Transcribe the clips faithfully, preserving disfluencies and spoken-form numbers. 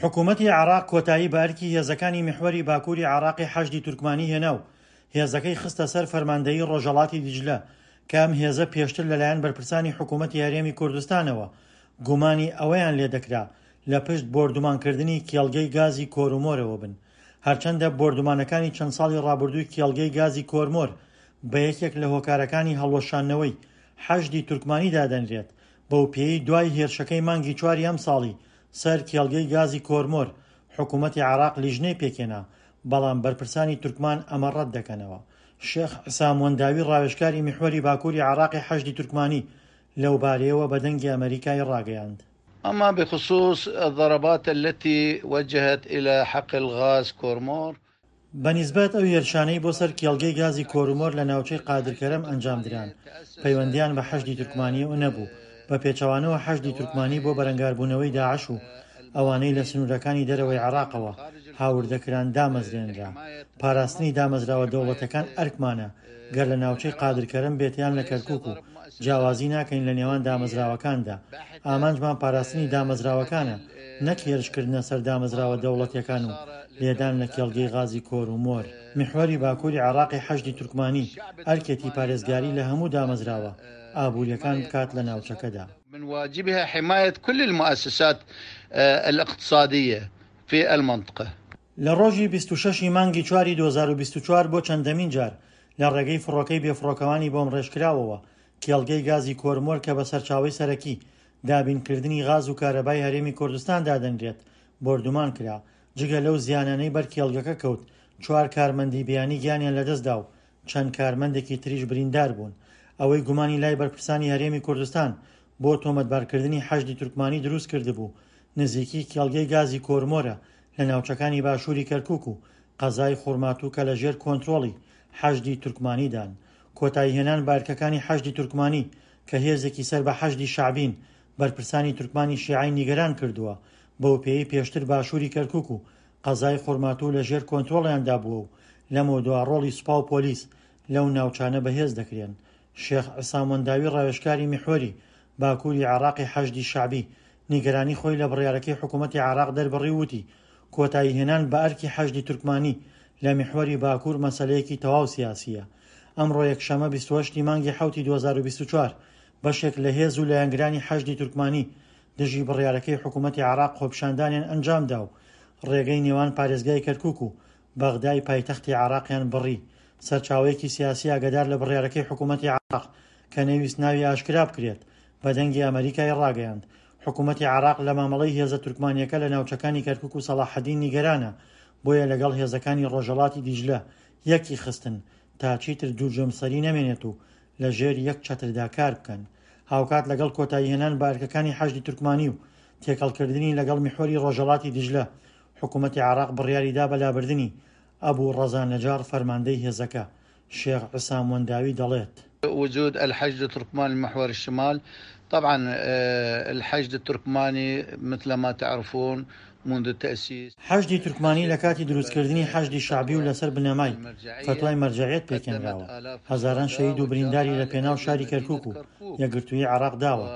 حکوومەتی عێراق کۆتایی بە ئەرکی هێزەکانی میحوەری باکووری عێراقی حەشدی تورکمانی هێنا و هێزەکەی خستە سەر فەرماندەیی ڕۆژهەڵاتی دیجلە کە ئەم هێزە پێشتر لەلایەن بەرپرسانی حکوومەتی هەرێمی کوردستانەوە گومانی ئەوەیان لێدەکرا لە پشت بۆردومانکردنی کێڵگەی گازی کۆرمۆرەوە بن. هەرچەندە بۆردومانەکانی چەند ساڵی ڕابردووی کێڵگەی گازی کۆرمۆر بە یەکێک لە هۆکارەکانی هەڵوەشاندنەوەی حەشدی تورکمانی دادەنرێت، بەو پێیەی دوای هێرشەکەی مانگی چواری ئەمساڵی سەر کێڵگەی گازی کۆرمۆر حکوومەتی عێراق لیژنەی پێکهێنا، بەڵام بەرپرسانی تورکمان ئەمە ڕەت دەکەنەوە. شێخ عیسام وەنداوی ڕاوێژکاری میحوەری باکووری عێراقی حەشدی تورکمانی لەوبارەیەوە بە دەنگی ئەمەریکای ڕاگەیاند. أما بخصوص الضربات التي وجهت إلى حقل غاز كورمور بە نیسبەت ئەو هێرشانەی بۆ سەر کێڵگەی گازی کۆرمۆر لە ناوچەی قادرکەرەم ئەنجامدران، پەیوەندییان بە حەشدی تورکمانیەوە نەبوو، بە پێچەوانەوە حەشدی تورکمانی بۆ بەرەنگاربوونەوەی داعش و ئەوانەی لە سنوورەکانی دەرەوەی عێراقەوە هاوردەکران دامەزرێنرا. پاراستنی دامەزراوە دەوڵەتەکان ئەرکمانە گەر لە ناوچەی قادرکەرەم بێت یان لە کەرکوک و جیاوازی ناکەین لە نێوان دامەزراوەکاندا. ئامانجمان پاراستنی دامەزراوەکانە نەک هێرشکردنە سەر دامەزراوە دەوڵەتیەکان و لێدان لە کێڵگەی غازی کۆرمۆر. میحوەری باکووری عێراقی حەشدی تورکمانی ئەرکێتی پارێزگاری لە هەموو دامەزراوە ئابووریەکان بکات لە ناوچەکەدا. من واجبها حماية كل المؤسسات الاقتصادية في المنطقة. لە ڕۆژی بیست و شەش ی مانگی چواری دوو هەزار و بیست و چوار بۆ چەندەمین جار لە ڕێگەی فڕۆکەی بێفڕۆکەوانی بۆمڕێژکراوەوە کێڵگەی گازی کۆرمۆر کە بە سەرچاوەی سەرەکی دابینکردنی غاز و کارەبای هەرێمی کوردستان دادەنرێت بۆردومان کرا. جگە لەو زیانانەی بەر کێڵگەکە کەوت، چوار کارمەندی بیانی گیانیان لەدەستدا و چەند کارمەندێکی تریش بریندار بوون. ئەوەی گومانی لای بەرپرسانی هەرێمی کوردستان بۆ تۆمەتبارکردنی حەشدی تورکمانی دروست کردبوو نزیکی کێڵگەی گازی کۆرمۆرە لە ناوچەکانی باشووری کەرکوک و قەزای خورماتوو کە لەژێر کۆنترۆڵی حەشدی تورکمانیدان. کۆتاییهێنان بە ئەرکەکانی حەشدی تورکمانی کە هێزێکی سەر بە حەشدی شەعبین بەرپرسانی تورکمانی شیعەی نیگەران کردووە، بەو پێیەی پێشتر باشووری کەرکوک و قەزای خورماتوو لەژێر کۆنترۆڵیاندا بووە و لەمەودوا ڕۆڵی سوپا و پۆلیس لەو ناوچانە بەهێز دەکرێن. شێخ عیسام وەنداوی ڕاوێژکاری میحوەری باکووری عێراقی حەشدی شەعبی نیگەرانی خۆی لە بڕیارەکەی حکوومەتی عێراق دەربڕی و وتی کۆتاییهێنان بە ئەرکی حەشدی تورکمانی لە میحوەری باکوور مەسەلەیەکی تەواو سیاسیە. ئەمڕۆ یەکشەممە بیست و هەشت ی مانگی حەوتی دوو هەزار و بیست و چوار بەشێک لە هێز و لایەنگرانی حەشدی تورکمانی دژی بڕیارەکەی حکوومەتی عێراق خۆپیشاندانیان ئەنجامدا و ڕێگەی نێوان پارێزگای کەرکوک و بەغدای پایتەختی عێراقیان بڕی. سەرچاوەیەکی سیاسی ئاگادار لە بڕیارەکەی حکوومەتی عێراق کە نەویست ناوی ئاشکرا بکرێت بە دەنگی ئەمەریکای ڕاگەیاند حکوومەتی عێراق لە مامەڵەی هێزە تورکمانیەکە لە ناوچەکانی کەرکوک و سەڵاحەدین نیگەرانە، بۆیە لەگەڵ هێزەکانی ڕۆژهەڵاتی دیجلە یەکی خستن تا چیتر دوو جەمسەری نەمێنێت و لەژێر یەک چەتردا کار بکەن. هاوکات لەگەڵ کۆتاییهێنان بە ئەرکەکانی حەشدی تورکمانی و تێکەڵکردنی لەگەڵ میحوەری ڕۆژهەڵاتی دیجلە، حکوومەتی عێراق بڕیاریدا بە لابردنی ئەبوو ڕەزا نەجاڕ فەرماندەی هێزەکە. شێخ عیسام وەنداوی دەڵێت: وجود الحشد التركماني محور الشمال، طبعا الحشد التركماني مثل ما تعرفون منذ التأسيس. حەشدی تورکمانی لە کاتی دروستکردنی حەشدی شەعبی و لەسەر بنەمای فەتوای مەرجەعیەت پێکهێنراوە، هەزاران شەهید و برینداری لە پێناو شاری کەرکوک و یەکگرتوویی عێراق داوە.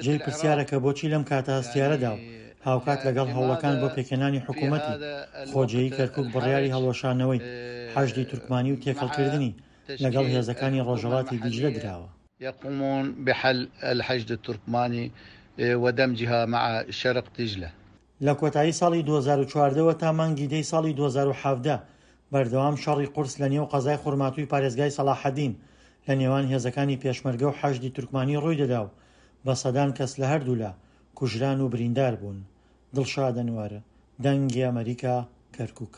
جێی پرسیارە کە بۆچی لەم کاتە هەستیارەدا و هاوکات لەگەڵ هەوڵەکان بۆ پێکهێنانی حکوومەتی خۆجێیی کەرکوک بڕیاری هەڵوەشانەوەی حەشدی تورکمانی و تێکەڵکردنی لەگەڵ هێزەکانی ڕۆژهەڵاتی دیجلە دراوە. يقومون بحل الحشد التركماني ودمجها مع شرق دجلة. لە کۆتایی ساڵی دوو هەزار و چواردە وە تا مانگی دەی ساڵی دوو هەزار و حەڤدە بەردەوام شەڕی قورس لە نێو قەزای خورماتووی پارێزگای سەڵاحەدین لە نێوان هێزەکانی پێشمەرگە و حەشدی تورکمانی ڕووی دەدا و بە سەدان کەس لە هەردوولا کوژران و بریندار بوون. دڵشاد ئەنوەر، دەنگی ئەمەریکا، کەرکوک.